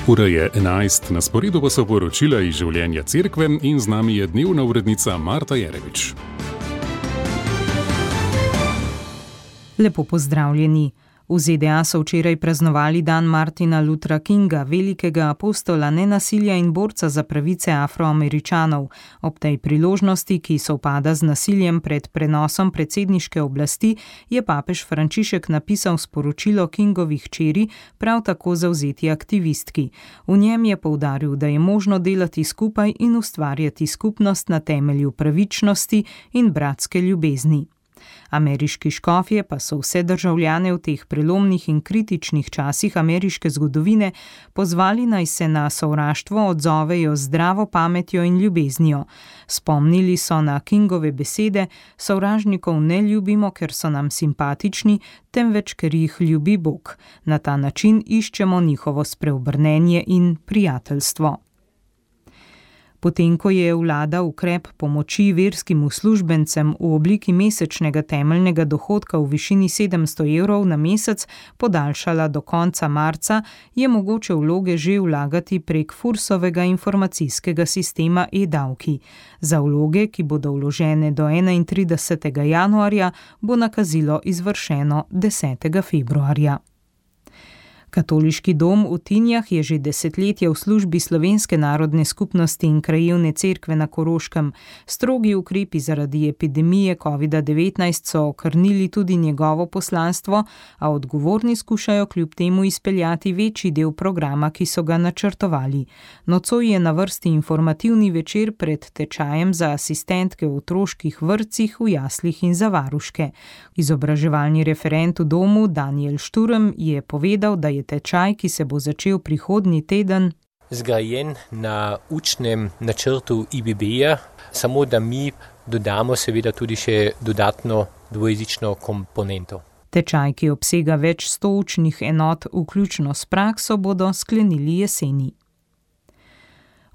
Ura je 11, na sporedu pa so poročila iz življenja cerkve in z nami je dnevna urednica Marta Jerevič. Lepo pozdravljeni. V ZDA so včeraj praznovali dan Martina Luthera Kinga, velikega apostola nenasilja in borca za pravice Afroameričanov. Ob tej priložnosti, ki sovpada z nasiljem pred prenosom predsedniške oblasti, je papež Frančišek napisal sporočilo Kingovi hčeri, prav tako zavzeti aktivistki. V njem je poudaril, da je možno delati skupaj in ustvarjati skupnost na temelju pravičnosti in bratske ljubezni. Ameriški škofje pa so vse državljane v teh prelomnih in kritičnih časih ameriške zgodovine pozvali, naj se na sovraštvo odzovejo z zdravo pametjo in ljubeznijo. Spomnili so na Kingove besede: sovražnikov ne ljubimo, ker so nam simpatični, temveč ker jih ljubi Bog. Na ta način iščemo njihovo spreobrnenje in prijateljstvo. Potem, ko je vlada ukrep pomoči verskim uslužbencem v obliki mesečnega temeljnega dohodka v višini 700 evrov na mesec podaljšala do konca marca, je mogoče vloge že vlagati prek Fursovega informacijskega sistema e-davki. Za vloge, ki bodo vložene do 31. januarja, bo nakazilo izvršeno 10. februarja. Katoliški dom v Tinjah je že desetletje v službi slovenske narodne skupnosti in krajevne cerkve na Koroškem. Strogi ukrepi zaradi epidemije COVID-19 so okrnili tudi njegovo poslanstvo, a odgovorni skušajo kljub temu izpeljati večji del programa, ki so ga načrtovali. Nocoj je na vrsti informativni večer pred tečajem za asistentke v otroških vrtcih, v jaslih in za varuške. Izobraževalni referent v domu Daniel Šturm je povedal, da je tečaj, ki se bo začel prihodnji teden, zgrajen na učnem načrtu IBB-ja, samo da mi dodamo seveda tudi še dodatno dvojezično komponento. Tečaj, ki obsega več 100 učnih enot, vključno s prakso, bodo sklenili jeseni.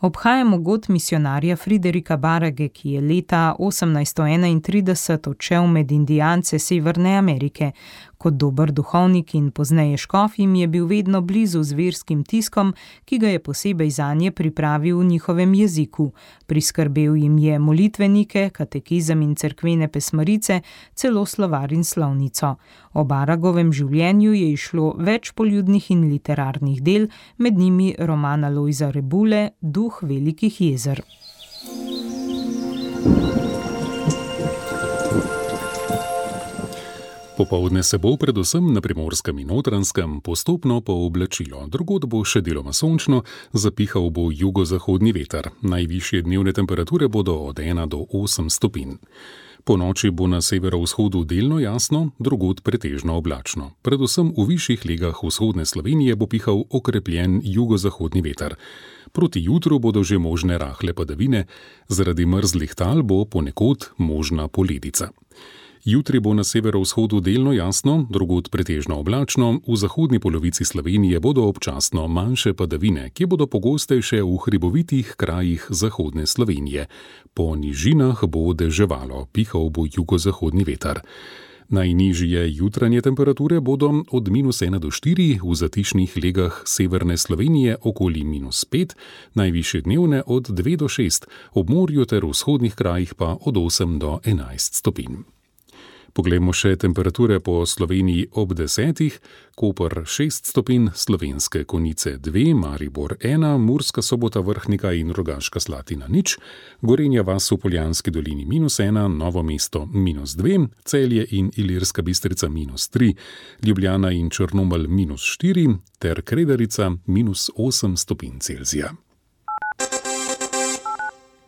Obhajamo god misionarja Friderika Barage, ki je leta 1831 odšel med Indijance Severne Amerike. Kot dober duhovnik in pozneje škof jim je bil vedno blizu z verskim tiskom, ki ga je posebej zanje pripravil v njihovem jeziku. Priskrbel jim je molitvenike, katekizem in cerkvene pesmarice, celo slovar in slovnico. O Baragovem življenju je izšlo več poljudnih in literarnih del, med njimi roman Alojza Rebule Duh velikih jezer. Popoldne se bo predvsem na Primorskem in Notranjskem postopno pooblačilo. Drugod bo še deloma sončno, zapihal bo jugozahodni veter. Najvišje dnevne temperature bodo od 1 do 8 stopinj. Po noči bo na severovzhodu delno jasno, drugod pretežno oblačno. Predvsem v višjih legah vzhodne Slovenije bo pihal okrepljen jugozahodni veter. Proti jutru bodo že možne rahle padavine, zaradi mrzlih tal bo ponekod možna poledica. Jutri bo na severovzhodu delno jasno, drugod pretežno oblačno, v zahodni polovici Slovenije bodo občasno manjše padavine, ki bodo pogostejše v hribovitih krajih zahodne Slovenije. Po nižinah bo deževalo, pihal bo jugozahodni veter. Najnižje jutranje temperature bodo od -1 do 4, v zatišnih legah severne Slovenije okoli -5, najvišje dnevne od 2 do 6, ob morju ter v vzhodnih krajih pa od 8 do 11 stopinj. Poglejmo še temperature po Sloveniji ob 10, Koper 6 stopinj, Slovenske Konjice 2, Maribor 1, Murska Sobota, Vrhnika in Rogaška Slatina 0, Gorenja vas v Poljanski dolini -1, Novo mesto -2, Celje in Ilirska Bistrica -3, Ljubljana in Črnomelj -4 ter Kredarica -8 stopinj Celzija.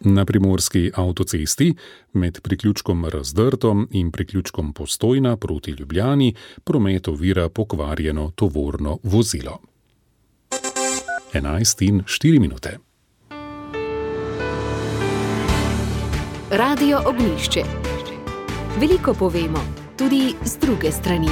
Na primorski avtocesti med priključkom Razdrto in priključkom Postojna proti Ljubljani promet ovira pokvarjeno tovorno vozilo. 11:04. Radio Ognjišče. Veliko povemo, tudi z druge strani.